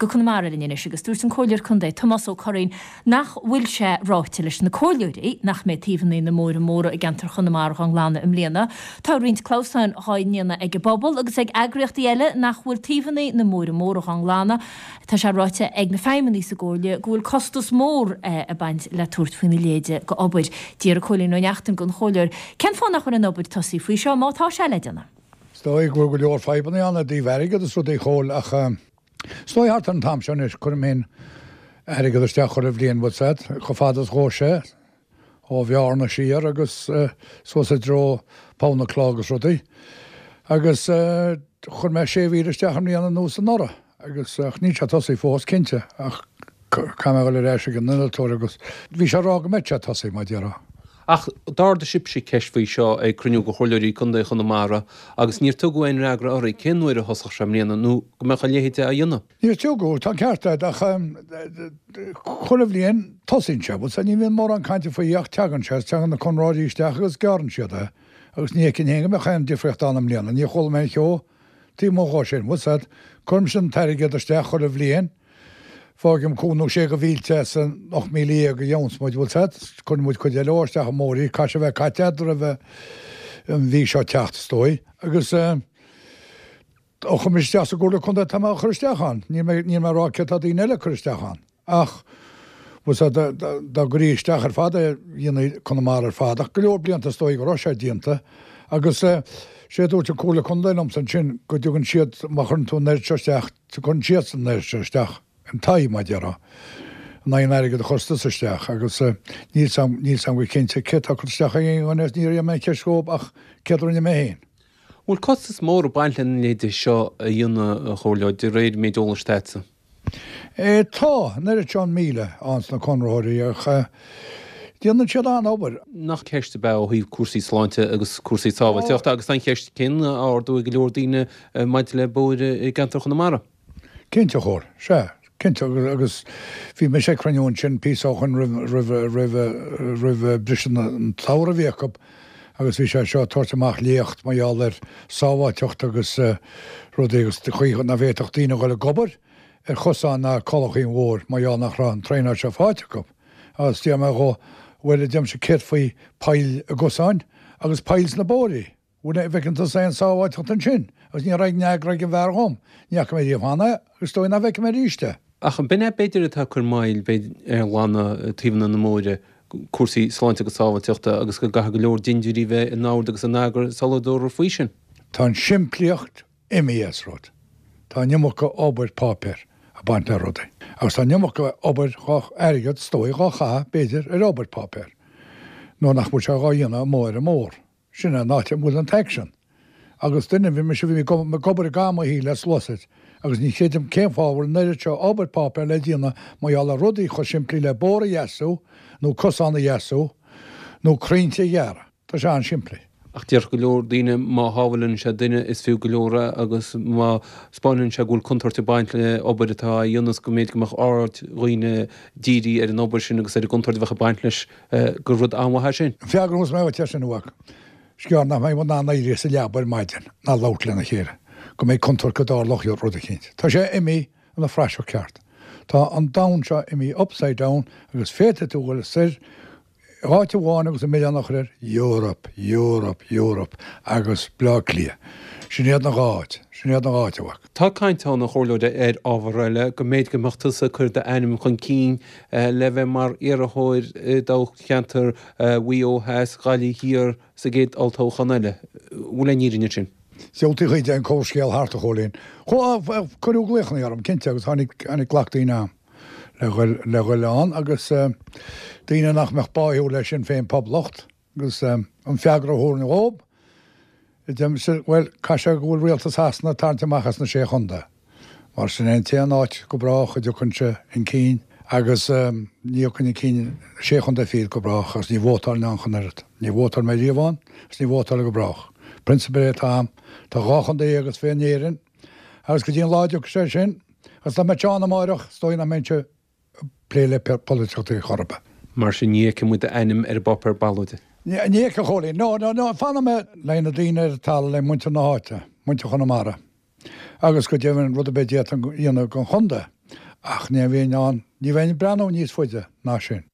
Go Conamara linn anois agus dúirt an Comhairleoir Contae Tomás Ó Curraoin nach bhfuil sé ráite leis na comhairleoirí nach mbeidh taobhanna na mbóithre móra i gceantar Chonamara dhá nglanadh i mbliana. Tá roinnt clamhsáin dhá ndéanamh ag an bpobal agus ag eagraíochtaí eile nach bhfuil taobhanna na mbóithre móra dhá nglanadh. Tá sé ráite ag na feidhmeannaigh sa gComhairle go bhfuil costas mór ag baint le tabhairt faoina leithéid de obair. D'iarr Cóilín Ó Neachtain den Chomhairleoir cén fáth nach bhfuil an obair tosaithe faoi seo má tá sé le déanamh. Is dóigh go bhfuil go leor fadhbanna ann i dtaobh airgead is rudaí a Chóil ach is dóigh thart ar an t-am seo anois cuirim féin airgead isteach chuile bhliain bhfuil 's a'd, chomh fada is ghabhas sé ó Bhearna siar agus suas i dtreo Poll na Cloch agus rudaí agus chuir mé 6,000 isteach i mbliana nó anuraidh agus ach níl sé tosaithe fós cinnte ach Caithfidh mé a dhul ar ais ag an innealtóir agus bhí sé ag rá go mbeadh sé tosaithe, mar a déarfá. Ach d'ardaigh sibhse ceist faoi seo ag cruinniú de Chomhairleoirí Contae Chonamara agus níor tugadh aon fhreagra oraibh cén uair a thosódh sé i mbliana nó go mbeadh a leithéid á dhéanamh. Níor tugadh, tá an ceart agat, ach chuile bhliain tosaíonn sé, bhuel ní bhíonn mórán cainte faoi ach teagann sé, teagann na conraitheoirí isteach agus gearrann siad é agus ní fheicim féin go mbeadh aon difríocht ann i mbliana, níor chuala mé aon cheo taobh amuigh dhó sin, bhfuil 's a'd, cuirimse an t-airgead isteach chuile bhliain. Fágaim cúig nó sé de mhílte as an 18,000 a gheobhanns muid, bhfuil 's a'd, cuireann muid cuid eile dhó isteach i mbóithrí, caithfidh sé a bheith caite a'd roimh an mhí seo teacht, is dóigh. Agus ó chuir mise isteach sa gComhairle Contae tá mé á chur isteach ann, níl mé, níl mé ag rá céard tá daoine eile ag cur isteach ann, ach bhfuil 's a'd, dá gcuirí isteach ar fad é, dhéanfaí Conamara ar fad, ach go leor blianta is dóigh go raibh sé déanta agus sé a dúirt an Comhairle Contae liomsa ansin go dtugann siad, má chuireann tú an oiread seo isteach, Tugann siadsan an oiread seo isteach in t'aghaidh, mar a déarfá, in aghaidh an airgid a chuireas tusa isteach agus níl 's a'm, níl 's a'm go cinnte céard tá curtha isteach ag aon dhuine agus níor iarr mé an cheist dhóibh ach céard a rinne mé féin. Bhfuil costas mór ag baint lena leithéid seo a dhéanamh, a Chomhairleoir, de réir méid eolais atá a'dsa? Tá, an oiread seo an 1,000 ann sna conraitheoirí ach déanann siad an-obair. Nach ceist ab ea ó thaobh cúrsaí sláinte agus cúrsaí sábháilteachta agus tá an cheist céanna á ardú ag go leor daoine maidir le bóithre i gceantar Chonamara. Cinnte, a Chóil, sea, cinnte agus bhí mise ag cruinniú ansin píosa ó shoin roimh, roimh, roimh, roimh briseadh an tsamhraidh a bhí acu agus bhí sé seo ag tabhairt amach léacht mar gheall ar sábháilteacht agus rudaí agus chaoi nach bhféadfadh daoine a dhul ag obair ar chosán ná culachaí an bhóthair mar gheall nach raibh an traenáil seo faighte acu. Agus d'iarr mé dhó, bhuel, a deirimse, céard faoi poill i gcosáin agus poill sna bóithrí? Bhuel, an bhfeiceann tusa aon sábháilteacht ansin? Agus ní raibh aon fhreagra ag an bhfear dhom. Ní fhaca mé riamh cheana é agus is dóigh nach bhfeicfidh mé arís é. Ach b'in é b'fhéidir atá ag cur moill b'fhéidir ar ghlanadh taobhanna na mbóithre, cúrsaí sláinte agus sábháilteachta agus go gcaithfidh go leor dindiúirí bheith in ord agus in eagar sula dtabharfar faoi sin. Tá an simplíocht imithe as rud. Tá an iomarca obair páipéir ag baint le rudaí. Agus tá an iomarca obair dhá, airgead, is dóigh, dhá chaitheamh, b'fhéidir, ar obair páipéir. Nuair nach bhfuil sé dhá dhéanamh amuigh ar an mbóthar. Sin é an áit a bhfuil an t-aicsean. Agus duine, bhí mise, bhí mé ag obair i gcaitheamh mo shaoil le sluasaid, agus ní chreidim cén fáth a bhfuil an oiread seo obair páipéir le déanamh mar gheall ar rudaí chomh simplí le bóthar a dheasú, nó cosán a dheasú, nó crainnte a ghearradh. Tá sé an-simplí. Ach déarfadh go leor daoine má shábháileann sé duine is fiú go leor é agus má 'spáineann sé go bhfuil contúirt ag baint le obair atá á dhéanamh is go mb'fhéidir go mbeadh aird dhaoine dírithe ar an obair sin agus ar an gcontúirt a bheadh ag baint leis gur rud an-mhaith é sin. An freagra a thabharfas mé dhuit air sin, a mhac, is gearr nach mbeidh muid in ann éirí as an leaba ar maidin ná labhairt lena chéile, go mbeidh contúirt go dtarlódh rud eicínt. Tá sé imithe ina phraiseach ceart. Tá an domhan seo imithe upside down agus féadfaidh tú dhul soir áit amháin agus an milleán a chur ar Europe, Europe, Europe agus Bleá Cliath. Sin iad na dhá áit. Sin iad na dhá áit, a mhac. Tá caint ann, a Chomhairleoir, ar ábhar eile, go mb'fhéidir go mbeadh tusa ag cur d'ainm chun cinn le bheith mar iarrthóir i dtoghcheantar Mhaigh Eo Theas, Gaillimh Thiar sa gcéad olltoghchán eile. Bhfuil aon fhírinne ansin? Diabhaltaí chuid den chomhscéal thart, a Chóilín. Cuireadh glaochanna orm, cinnte, agus tháinig, tháinig glac daoine agam. le dhul le dhul ann agus daoine nach mbeadh báúil le Sinn Féin Poblacht agus an freagra a thabharfainn dhób, deirimse, bhuel, caithfidh sé go bhfuil rialtas Shasana ag tarraingt amach as na Sé Chontae mar sin é an t-aon áit go brách a dtiocfainnse chun cinn agus ní thiocfainn chun cinn Sé Chontae fichead go brách agus ní vótálfainn ann ach an oiread. Ní vótálfaidh mé riamh ann agus ní vótálfaidh go brách. Prionsabal é atá a'm. Tá 12 chontae is fiche in Éirinn agus go dtí an lá a dtiocfaidh sé sin, Agus dá mbeadh sé ann amáireach, is dóigh nach mbeinnse ag plé le polaitíocht ar chor ar bith. Mar sin, ní fheicfidh muid d'ainm ar an bpáipéar ballóide. Ní fheicfidh, a Chóilín. No, no, no, fanfaidh mé le na daoine ar an talamh, le muintir na háite, muintir Chonamara, agus go deimhin rud ar bith a d'fhéadfainn a dhéanamh don chontae. Ach ní bheinn ann, ní bheinn ag breathnú níos faide ná sin.